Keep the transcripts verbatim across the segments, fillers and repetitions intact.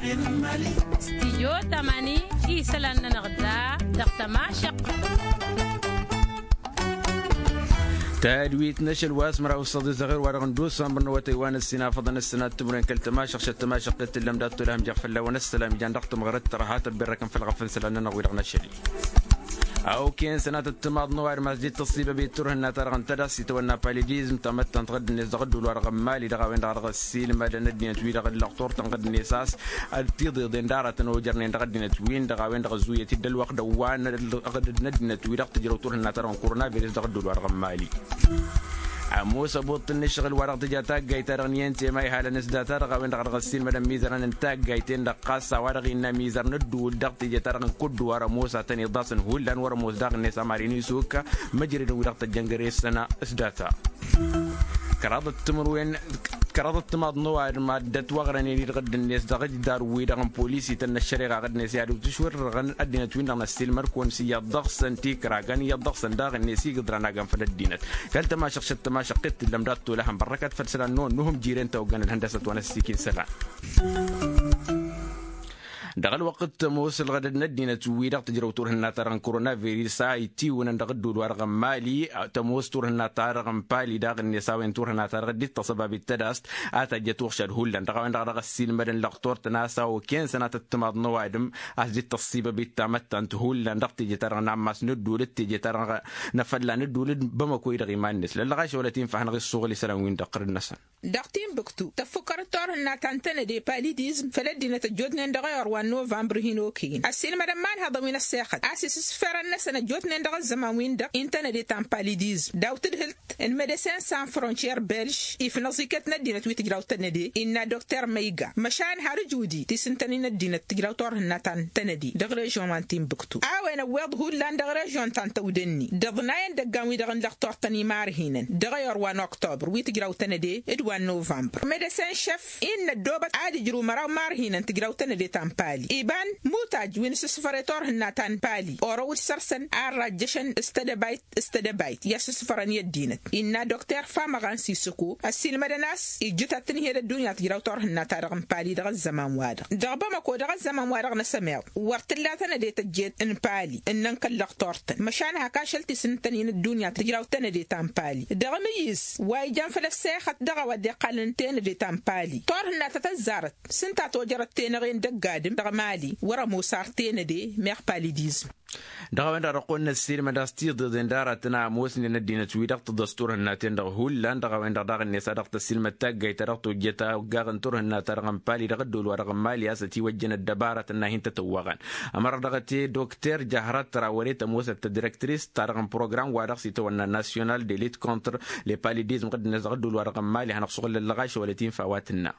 Stijyo tămani isălan-nănăɣ da dăɣ-tămašăɣt. Tadwit n-ašăl wa s-măraw s-săḍi zăɣir wa dăɣ-n dusambăr n-awătay wa n-ăssinafăḍăn ăssinat timren kăl-tămašăɣt šăt tămašăɣt tăt-tǝllăm dat-tolăhăm jeɣ fălla-wăn ăssălam ijan dăɣ-tǝmɣărăt tărha tăbbirrăkăn făll-ɣăfăn isălan-nănăɣ wi-dăɣ n-ašăl. Awken sănatăt timaḍ n-ăwadǝm a-s dd-tăṣṣibăbit turhǝnna-ta-dăɣ n-tadast itawănna palidizm tamăttant ɣǝdd-net dăɣ-ădduul-wa-dăɣ n-mali dăɣ-a-wen-dăɣ a dăɣ-ăssiilmădăn ăddinăt-wi-dăɣ ǝllăɣ turtăn ɣǝdd-net a-s tiḍeḍen d-aratăn ojărnen dăɣ-ăddinăt-win-dăɣ a-wen-dăɣ ăzzuyăt-dd ălwăqq d-ăwwa n-ăddinăt-wi-dăɣ tǝjrăw turhǝnna-ta-dăɣ n-koronavirus dăɣ-ădduul-wa-dăɣ n-mali. Ămoos ăbuṭṭǝl n-ǝššăɣǝl wa dăɣ-tǝja taggayt-ta-dăɣ n-i n t m a ihal ănǝsdata-dăɣ a-wen-dăɣ a dăɣ-ăssiilmădăn imizărăn n-taggayt-en-dăɣ ɣas a-wa-dăɣ innă imizăr n-ădduul dăɣ-teje-ta-dăɣ n-kădduwar ămoos a tăn-iḍasăn hullan wăr-ămoos daɣ-net amar-in isuk măjrădăn wi-dăɣ tăjjăn găre-săn s-data. Kăraḍăt timǝrwen kăraḍăt timaḍ n-ăwadǝm a dd-ătwăɣrănen-i dăɣ-dd-net dăɣ-ǝjdar-wi-dăɣ n-polisităn n-ăššăreɣa ɣǝd-net i-ad-utǝšwărrăɣăn ăddinăt-win-dăɣ n-ăssiilmăr-kăwăn s-iyyăḍ dăɣ-săn tikragăn iyyăḍ dăɣ-săn daɣ-net igǝḍran a gănfăl ăddinăt. Kăl-tămašăɣšăt tămašăɣt t-tǝllăm dat-tolăhăn bărrăkăt făll-isălan-năwăn n-uhǝm jiren tawăggăn ălhăndăsăt wa n-ăssiikin isălan. Dăɣ-ălwăqq t-ămoos ǝlɣădăd n-ăddinăt-wi-dăɣ tǝjrăw turhǝnna-ta-dăɣ n-koronavirus a itiwǝnăn dăɣ-ădduul-wa-dăɣ n-mali. Tămoos turhǝnna-ta-dăɣ n-pali daɣ-net a-wen turhǝnna-ta-dăɣ dd-tăṣăbabit tădast a tajjăt uɣšad hullan dăɣ-a-wen-dăɣ a dăɣ-ăssiilmădăn lăɣtor-tăn a-s a oken sănatăt timaḍ n-ăwadǝm a-s dd-tăṣṣibăbit tamăttant hullan dăɣ-teje-ta-dăɣ n-ammas n-ădduul d-teje-ta-dăɣ n-afălla n-ădduul d-bamăko-i-dăɣ iman-net lăllăɣaš wălăt infa a hanăɣ-issuɣǝl isălan-win-dăɣ ɣǝrǝd-năsăn. Dăɣ-tinbǝktu tăffukkărăt turhǝnna ta n-tănăde palidizm făll-ăddinăt ăjjootnen dăɣ-eyor wa n-novămbăr hin-okăyăn ăssiilmădăn imanhăḍăn wi n-ăssexăt a-s isǝsfărăn-năsăn ăjjootnen dăɣ-ăzzăman-win-dăɣ i n-tănăde ta n-palidizm daw-tǝdhǝlt n-medecin san frontier belž ifnăẓ iket n-ăddinăt wi tǝjraw tănăde innă dokter măyga măšan har ǝjudit isǝntănen ăddinăt tǝjraw turhǝnna ta n-tănăde dăɣ-režyon wa n-tinbǝktu a-wen ăwweḍ hullan dăɣ-režyon ta n-tăwdănni d-iḍnayăn dăggan-wi-dăɣ n-lăɣ turtăn imarhinen dăɣ-eyor wa n-oktobăr wi tǝjraw tănăde d-wa n-novămbăr medecin šef innă ăddoobăt ad-ǝjrǝw măraw imarhinen tǝjraw tănăde ta n-pali iban mutaj wi n-asǝsfăr i-turhǝnna ta n-pali orăw d-săr-săn a ărrajjăšăn s-tedăbayt s-tedăbayt i-asǝsfărăn i-ăddinăt innă dokter famăɣan sisǝko ăssiilmădăn a-s ijjǝt ad-tǝnhǝyăd ăddunya tǝjraw turhǝnna-ta-dăɣ n-pali dăɣ-ăzzăman-wa-dăɣ dăɣ-bamăko dăɣ-ăzzăman-wa-dăɣ n-asămeḍ wăr t-tǝlla tănăde tăjjeet n-pali ǝnnăn kăl-lăɣ turtăn măšan hak ašăl t-isǝntăn-in ăddunya tǝjraw tănăde ta n-pali dăɣ-amǝyyǝs wa ijăn făll-ăssexăt dăɣ-a-wa dd-iqqalăn tenăde ta n-pali turhǝnna ta tăzzarăt s-ǝnta a tojărăt tenăɣe n-dăgg-adǝm dăɣ-mali wăr-ămoos ar tenăde meɣ palidizm. Dăɣ-a-wen-dăɣ dăɣ-kăwăn-năssiilmăd a-s tiḍeḍen d-aratăn a ămoosnen ăddinăt-wi-dăɣ tǝḍăs turhǝnna-ten-dăɣ hullan dăɣ-a-wen-dăɣ daɣ-net a dăɣ-tăssiilmăd taggayt ta dăɣ-tojjăt aggaɣ n-turhǝnna-ta-dăɣ n-pali dăɣ-ădduul-wa-dăɣ n-mali a-s ătiwăjjăn ăddăbarăt ănnay hin-tătăwwăɣăn. Ămăra dăɣ-te dokter jăhrat tăra wăr-e tămoosăt tădirektris-ta-dăɣ n-program-wa-dăɣ s-itawănna nasyonal de lit kontr le palidizm ɣǝddǝnet dăɣ-ădduul-wa-dăɣ n-mali hanăɣ-suɣǝl ăllăɣaš wălăt infa wa tǝnna.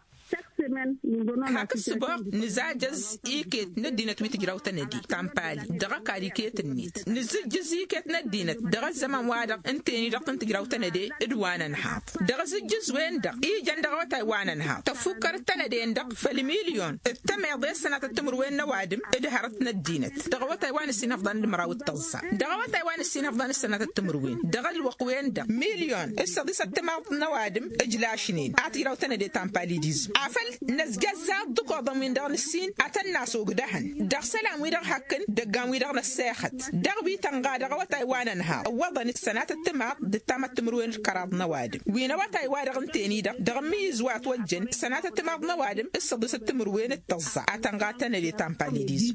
Hak ǝssǝboɣ nǝzajăẓ iket n-ăddinăt wi tǝjraw tănăde ta n-pali dăɣ-ăkall iket-net nǝzǝjjǝẓ iket n-ăddinăt dăɣ-ăzzăman-wa-dăɣ ǝnta-en-i-dăɣ tăn-tǝjraw tănăde d-wa n-ănhaḍ dăɣ-azǝjjǝẓ-wen-dăɣ ijăn dăɣ-awătay wa n-ănhaḍ tăffukkărăt tănăde-en-dăɣ făll-milyon d-tămeḍe s-sănatăt timǝrwen n-ăwadǝm d-hărăt n-ăddinăt dăɣ-awătay wa n-ǝssin ăfḍăn d-măraw d-tăẓẓa dăɣ-awătay wa n-ǝssin ăfḍăn s-sănatăt timǝrwen dăɣ-ălwăqq-wen-dăɣ milyon d-săḍisăt timaḍ n-ăwadǝm ǝjlašnen a tǝjraw tănăde ta n-palidizm afăl năzjăzza dd-ăkoḍăn-win-dăɣ n-ǝssin ad-tăn-nasug dăhăn dăɣ-isălan-wi-dăɣ hakkăn dăggan-wi-dăɣ n-ăssexăt dăɣ-wi tănɣa dăɣ-awătay wa n-ănhaḍ ǝwwăḍăn d-sănatăt timaḍ d-ǝttamăt timǝrwen d-kăraḍ n-ăwadǝm wi n-awătay-wa-dăɣ ǝnta-en-i-dăɣ dăɣ-ǝmmǝyyǝz wa ătwăjjăn sănatăt timaḍ n-ăwadǝm d-săḍisăt timǝrwen d-tăẓẓa ad-tănɣa tănăde ta n-palidizm.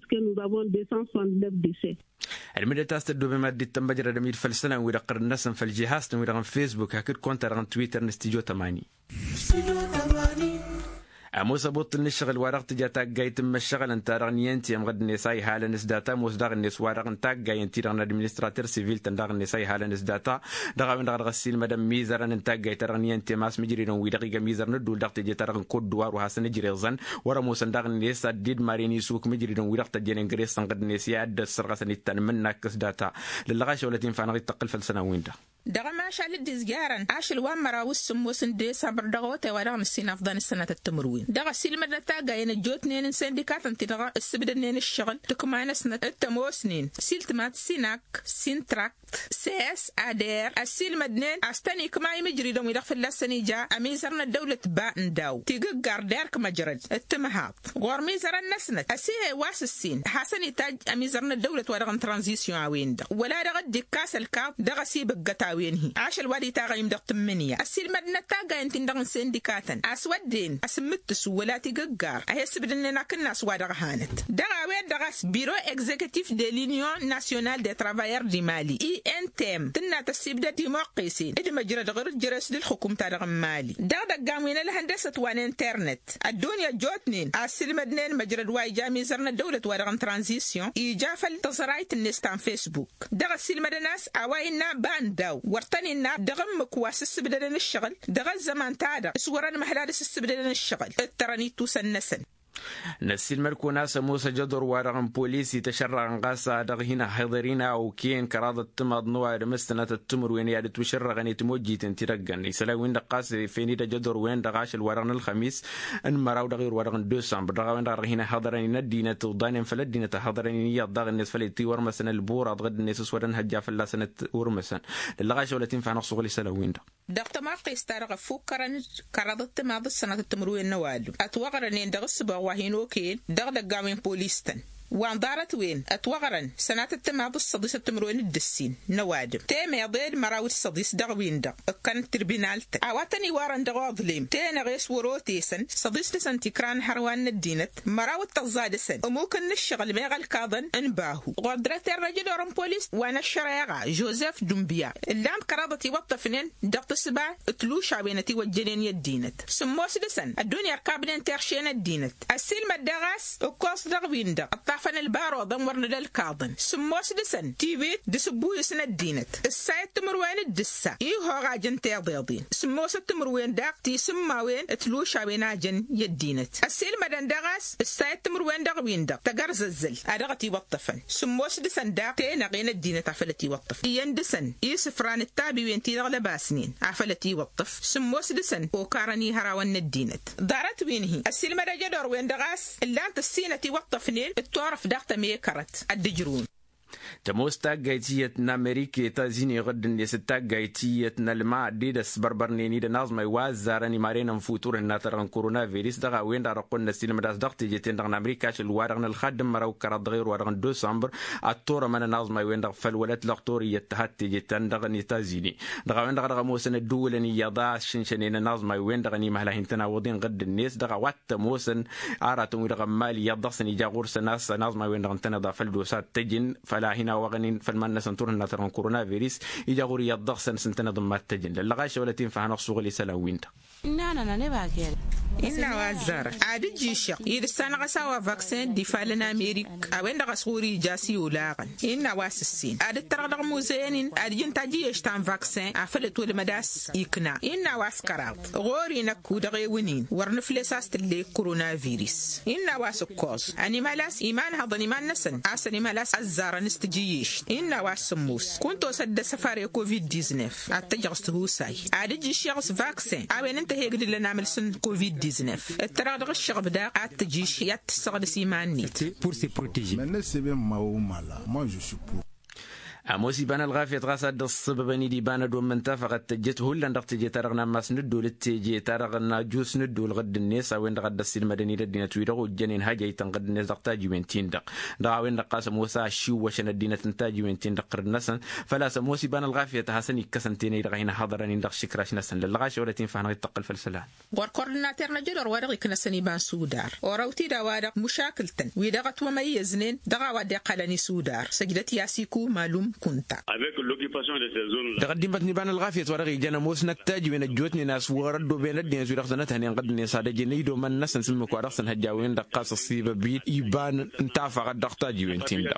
Ălmǝdăt a-s tăddoobem ad-dd-tămmăjrădăm-dd făll-isălan-wi-dăɣ ɣărăn-năsăn făll-žihaz-tăn-wi-dăɣ n-fesbuk hakd konta-dăɣ n-twitter n-stijo tămani. Ămoos ăbuṭṭǝl n-ǝššăɣǝl wa dăɣ-tǝja taggayt n-imăššăɣǝlăn-ta-dăɣ n-i n t m ɣǝdd-net a ihalăn s-data ămoos daɣ-net wa-dăɣ n-taggayăn-ti-dăɣ n-administrater sivil-tăn daɣ-net a ihalăn s-data dăɣ-a-wen-dăɣ a dăɣ-ăssiilmădăn imizărăn n-taggayt-ta-dăɣ n-i n t m a-s mǝjridăn-wi-dăɣ iga imizăr n-ădduul dăɣ-teje-ta-dăɣ n-kodduwar wa hasăn-ǝjreẓăn wăr-ămoosăn daɣ-net ad-dd-maren isuk mǝjridăn-wi-dăɣ tăjjănen găre-săn ɣǝdd-net i-ad-dd-ăssărɣăsăn ittan mǝnnak s-data. Lăllăɣaš a wălăt infa-năɣ-dd-tăqqǝl făll-isălan-win-dăɣ. Dăɣ-ămašal dd-izjarăn ašăl wa n-măraw s-sǝmmos n-desămbăr dăɣ-awătay wa dăɣ-nǝssin afḍăn s-sănatăt timǝrwen. Dăɣ-ăsilmădnăt taggayen ăjjootnen n-sindikatăn-ti-dăɣ ǝssǝbdădnen ǝššăɣǝl tǝkma-năsnăt d-tămoosnen siltmat sinak, sintrakt, ses, ader ăssiilmădnen a-s tăn-ikma imǝjridăn wi-dăɣ fălla-săn ija ămizăr n-ăddăwlăt ba n-daw tigǝggar derk măjrăd d-timǝhaḍt ɣur-imizărăn-năsnăt ăsihe wa s-ǝssin hasăn-itajj ămizăr n-ăddăwlăt wa dăɣ-n tranzisyon a-wen-dăɣ wăla dăɣ-dd-ikkas ălkaḍ dăɣ-ăsibǝggăt a-wen-hi ašăl wa d-itaɣăyăm dăɣ-tǝmmǝnǝya ăssiilmădnăt taggayen-tin-dăɣ n-sindikatăn a-s wădden asǝmmǝttǝsu wăla tigǝggar a he-ǝssǝbdănnen akǝnnas wa dăɣ-hanăt dăɣ-a-wen-dăɣ a-s biro egzekitif de l-inyon nasyonal de travayăr di mali i n t m tǝnna tăssibdăd imoqqesen d-măjrăd ɣur-ǝjjăres d-ǝlxǝkum-ta-dăɣ n-mali dăɣ-idăggan wi n-ălhăndăsăt wa n-internet ăddunya ăjjootnen a ǝssǝlmădnen măjrăd wa ija amizăr n-ăddăwlăt wa dăɣ-n tranzisyon ija făll-tăẓrayt-net ta n-fesbuk dăɣ-ăssiilmădăn a-s a-wa innă ba n-daw wăr tăn-innă dăɣ-ǝmmǝk wa s-ǝssǝbdădăn ǝššăɣǝl dăɣ-ăzzăman-ta-dăɣ s-wărăn măhla d-asǝssǝbdădăn ǝššăɣǝl ǝttărăn ittusăn-năsăn. Năssiilmăd-kăwăn a-s ămoos ajăḍor-wa-dăɣ n-polis ităšărrăɣăn ɣas a dăɣ-hin-ăhhiḍăr-in a okăyăn kăraḍăt timaḍ n-ăwadǝm s-sănatăt timǝrwen i-ad-ǝtwǝšărrăɣăn i-timojjiten ti dăgg-ănnăy isălan-win-dăɣ ɣas efenid ajăḍor-wen-dăɣ ašăl-wa-dăɣ n-ălxămis n-măraw dăɣ-iwr-wa-dăɣ n-dusămbăr dăɣ-a-wen-dăɣ a dăɣ-hin-ăhhiḍărăn-in ăddinăt uḍanen făll-ăddinăt ăhhiḍărăn-in iyyăḍ daɣ-net făll-itiwărmăsăn ălburaḍ ɣǝdd-net s-wăr-ănhăjja fălla-săn ătwărmăsăn. Lăllăɣ ašăwălăt-in făhănăɣ s-uɣǝl isălan-win-dăɣ. Dăɣ-tămaqqest-ta-dăɣ ăffukkărăn kăraḍăt timaḍ s-sănatăt timǝrwen n-ăwadǝm ătwăɣrănen dăɣ-ǝssǝbaɣ wa hin-okăyăn dăɣ-idăggan wi n-polis-tăn wa n-ḍarăt-wen ătwăɣrăn sănatăt timaḍ s-săḍis ăttimǝrwen d-ǝssin n-ăwadǝm temeḍe d-măraw d-săḍis dăɣ-win-dăɣ ǝkkăn tribinal-tăn a-wa tăn-iwarăn dăɣ-oḍlem tenăɣe s-wăr-otesăn săḍis dăɣ-săn tikra n-hărwa n-ăddinăt măraw d-tăẓẓa dăɣ-săn ămuk n-ǝššăɣǝl meɣ ălkaḍăn n-bahu ɣur-dăr-ăterrăj d-orăn polis wa n-ăššăreɣa jozef dumbya ǝllan-t kăraḍăt iwăṭṭăfnen dăɣ-tǝsba d-tlušawen ătiwăjjănen i-ăddinăt sǝmmos dăɣ-săn ăddunya ărkabnen terše n-ăddinăt ăssiilmăd daɣ a-s ǝkkoẓ dăɣ-win-dăɣ ǝṭṭafăn ălbaruḍăn wăr nǝla ălkaḍăn sǝmmos dăɣ-săn tiwit d-asǝbbuyǝs n-ăddinăt ǝssayăt timǝrwen d-ǝssa ihoɣ a jăn tiḍeḍen sǝmmosăt timǝrwen daɣ tisǝmmawen d-tlušawen a jăn i-ăddinăt ăssiilmădăn daɣ a-s ǝssayăt timǝrwen dăɣ-win-dăɣ tăgărzăzzăl a dăɣ-ătiwăṭṭăfăn sǝmmos dăɣ-săn daɣ tenăɣe n-ăddinăt afăl ătiwăṭṭăf iyyăn dăɣ-săn isǝfran d-tabiwen-ti-dăɣ lăbasnen afăl ătiwăṭṭăf sǝmmos dăɣ-săn okarăn i-hărawăn n-ăddinăt ḍarăt-win-hi ăssiilmăd ajădor-wen-dăɣ a-s ǝllan-t ǝssin ătiwăṭṭăfnen d-turăft daɣ tămekărăt ad-dd-ǝjrǝwăn. Tămoos taggayt iyyăt n-amerika i-tazinăɣ dd-net d-taggayt iyyăt n-ălma dd-ăsbărbărnen-dd ănaẓmay wa ăzzarăn imaren n-futur ihǝnna-ta-dăɣ n-koronavirus dăɣ-a-wen-dăɣ a dăɣ-kăwăn-năssiilmăd a-s dăɣ-teje-ten-dăɣ n-amerika ašăl-wa-dăɣ n-ălxadd n-măraw kăraḍ dăɣ-erwa-dăɣ n-dosămbăr ad-turămăn ănaẓmay-wen-dăɣ făll-wălăt lăɣtur iyyăt tăhat teje-ten-dăɣ n-etazini dăɣ-a-wen-dăɣ a dăɣ-ămoosăn ădduulăn iyyăḍ a ăššǝnšănen ănaẓmay-wen-dăɣ ănimăhla hin-tăn-awǝḍ-in ɣǝdd-net dăɣ-a-wa t-ămoosăn aratăn-wi-dăɣ n-imali iyyăḍ dăɣ-săn ija ɣur-săn a-s ănaẓmay-wen-dăɣ ǝntăneḍ a făl d-osa t-ăjǝn făl a hin-awăɣăn-in făll-iman-năsăn turhǝnna-ta-dăɣ n-koronavirus ija ɣur-iyyăḍ dăɣ-săn s-ǝntăneḍ n-mad-t-ăjǝn lăllăɣ a išăwălăt-in făhănăɣ s-uɣǝl isălan-win-dăɣ. Innă a-năn ănebak i-ad-ǝjjǝyšăɣ-i d-ǝssanăɣ a-s a-wa vaksen d-ifalăn amerik a-wen-dăɣ a-s ɣur-ija a-s i-olaɣăn innă a-wa s-ǝssin ad-ǝttărăɣ dăɣ-muzăyăn-in ad-ǝjǝn tajǝyyešt ta n-vaksen afăl ătwălmăd a-s ikna innă a-wa s-kăraḍ ɣur-i năkk u-dăɣ ewăn-in wăr nǝfles a-s tǝllek koronavirus innă a-wa s-ǝkkoẓ ănimal a-s imanhăḍăn iman-năsăn a-s ănimal a-s ăzzarăn s-tajǝyyešt innă a-wa s-sǝmmos kunta osăt d-asăfar i-covid-diznef ad-t-ăjăɣ s-tihusay ad-ǝjjǝššeɣ s-vaksen a-wen ǝnta a he-ǝgdǝlăn amǝls n-covid-diznef ǝttărăɣ dăɣ-ǝššăɣăb daɣ ad-t-ăjǝš i-ad-t-ǝssăɣdǝs iman-net. Ămoos iba n-ălɣafyăt ɣas a dd-ǝssǝbăbăn-dd iba n-ădomm n-tafăɣăt tăjjăt hullan dăɣ-teje-ta-dăɣ n-ammas n-ǝddol d-teje-ta-dăɣ n-ajus n-ǝddol ɣǝdd-net a-wen-dăɣ a dd-ăssiilmădăn-dd ăddinăt-wi-dăɣ ojjănen hajăytăn ɣǝdd-net dăɣ-tajiwen-tin-dăɣ dăɣ-a-wen-dăɣ ɣas ămoos a ăššiwwăšăn ăddinăt n-tajiwen-tin-dăɣ ɣǝrǝd-năsăn făl-a-s ămoos iba n-ălɣafyăt a hasăn-ikkăsăn tenăy-dăɣ a hin-ăhhăḍărăn-in dăɣ-išǝkraš-năsăn lăllăɣ ašăwălăt-in făhănăɣ-dd tăqqăl făll-isălan. Ɣur-kordinater n-ajădor wa dăɣ-iknăsăn iba n-sudar orăw-t-dd a-wa-dăɣ mušakǝl-tăn wi dăɣ-ătwămăyyăznen dăɣ-a-wa dd-iqqălăn isudar săjdăt i-a-s iku malum kunta. Dăɣ-ăddimmăt n-iba n-ălɣafyăt wa dăɣ-ijăn ămoosnăt tajǝwen ăjjootnen a-s wăr-ăddooben ăddinăt wi dăɣ-tăn-ăthănen ɣǝddǝn-en s-ad-ăjǝn idom-năsăn s-ǝmmǝk wa dăɣ-săn hăjja a-wen-dăɣ ɣas ăṣṣibăb-dd iba n-tafăɣăt dăɣ-tajǝwen-tin-dăɣ.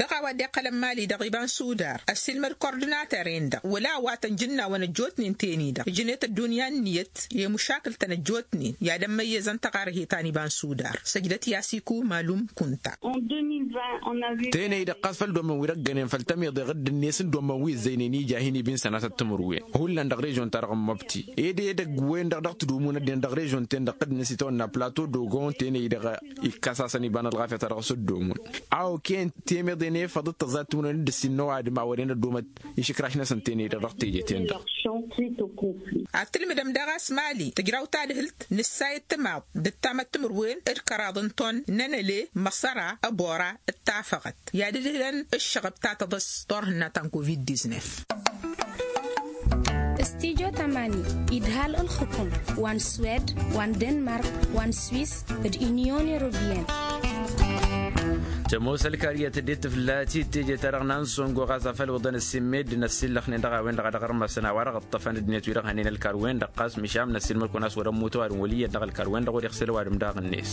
Dăɣ-a-wa dd-iqqălăn mali-dăɣ iba n-sudar ăssiilmăd kordinater-en-dăɣ wăla a-wa tăn-jǝnnawăn ăjjootnen ten-i-dăɣ ǝjnet ăddunya ǝnniyăt i-mušakǝl-tăn ăjjootnen i-ad-ămmăyyăzăn tăɣarhet ta n-iba n-sudar săjdăt i-a-s iku malum kunta. Tenăy-dăɣ ɣas făll-dd Ămăwirăggănen făl tămiḍeɣ dd-net n-dd-ommăn wi ǝzzăynen ija hin-ibin sănatăt timǝrwen hullan dăɣ-režyon-ta-dăɣ n-măbti. Ed edăgg-wen-dăɣ dăɣ-tǝdumǝn ăddinăt dăɣ-režyon-ten-dăɣ tădd-năsităwănna plato dogon tenăy-dăɣ ikkas-asăn iba n-ălɣafyăt a dăɣ-s dd-omǝn. A okăyăn temeḍe n-efăḍ d-tăẓẓayăt timǝrwen d-ǝssin n-ăwadǝm a wăren ăddomăt išǝkraš-năsăn tenăy-dăɣ dăɣ-teje-ten-dăɣ. Ad-tǝlmǝdăm daɣ a-s mali tǝjraw tadhǝlt nǝssayăt timaḍ d-ǝttamăt timǝrwen d-kăraḍ n-ton n-enăle măsăra ăbora d-tafăɣăt i-ad-ǝdhǝlăn ǝššăɣăb ta tăḍăs turhǝnna ta n-covid-diznef. Stijo tamani idhal ǝlxǝkum wa n-swed wa n-denmark wa n-swis d-inyon europiyăn. Tămoos ălkariyăt dd-tǝflat-i teje-ta-dăɣ n-ansongo ɣas afăl wǝḍăn ăssimmedden ăssillăxnen dăɣ-a-wen-dăɣ a dăɣ-ărmăsăn a-wa-dăɣ ǝṭṭăfăn ăddinăt-wi-dăɣ hănen ălkar-wen-dăɣ ɣas mišam n-ăssiilmăd-kăwăn a-s wăr-ămmut ăwadǝm wăl' iyyăt dăɣ-ălkar-wen-dăɣ wăr-iɣsǝl ăwadǝm daɣ-net.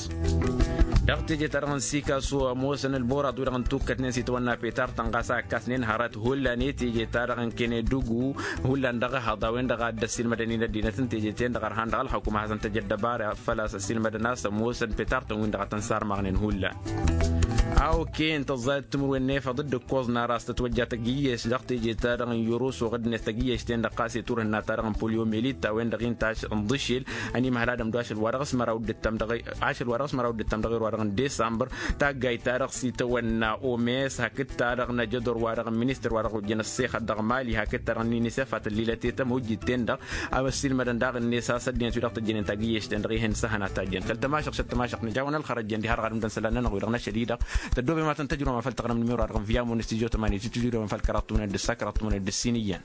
Dăɣ-teje-ta-dăɣ n-sikasu ămoosăn ălboraḍ-wi-dăɣ n-tukkătnen s-itawănna petar-tăn ɣas a ǝkkasnen hărăt hullan i-teje-ta-dăɣ n-kănedugu hullan dăɣ-ehăḍ a-wen-dăɣ a dd-ăssiilmădăn-in ăddinăt n-teje-ten-dăɣ ărhan dăɣ-ălxukǝm ad-hasăn-tăj ăddăbara făl-a-s ăssiilmădăn a-s ămoosăn petar-tăn-win-dăɣ a tăn-sarmăɣnen hullan. A okăyăn tăẓẓayăt timǝrwen n-efăḍ dd-ǝkkoẓ n-ara a-s tătwăjja tăgg-iyyes dăɣ-teje-ta-dăɣ n-yăruso ɣǝddǝnet tăgg-iyyes-ten-dăɣ ɣas i-turhǝnna-ta-dăɣ n-poliomelit a-wen-dăɣ-in taš n-ḍǝšel ănimhăl ad-ămdu ašăl wa dăɣ-s măraw dd-ǝttăm dăɣ-i ašăl wa dăɣ-s măraw dd-ǝttăm dăɣ-i wa dăɣ-n desambăr. Taggayt-ta-dăɣ s-itawănna omes hakd-ta-dăɣ n-ajădor wa dăɣ-n ministăr wa dăɣ-ojjăn ăssexăt dăɣ-mali hakd-ta-dăɣ n-inisef a tăllilet i-tămojjit-ten-dăɣ. A-wa ăssiilmădăn daɣ-net a-s ăddinăt-wi-dăɣ tăjjănen tagǝyyešten-dăɣ ih'-en s-ehăn ad-tajjăn kăl-tămašăɣt šăt tămašăɣt nǝjawăn ălxărăjjăn diha-dăɣ ad-ǝmdăn isălan-nănăɣ-wi-dăɣ n-ašăl-i-dăɣ. Tăddoobem ad-tăn-tăjrǝwăm a făl taɣrǝm n-imiro-a-dăɣ n-viyamon s-tijo tămani s-tijo tămani d-ǝssa kăraḍ tămani d-ǝssin iyyăn.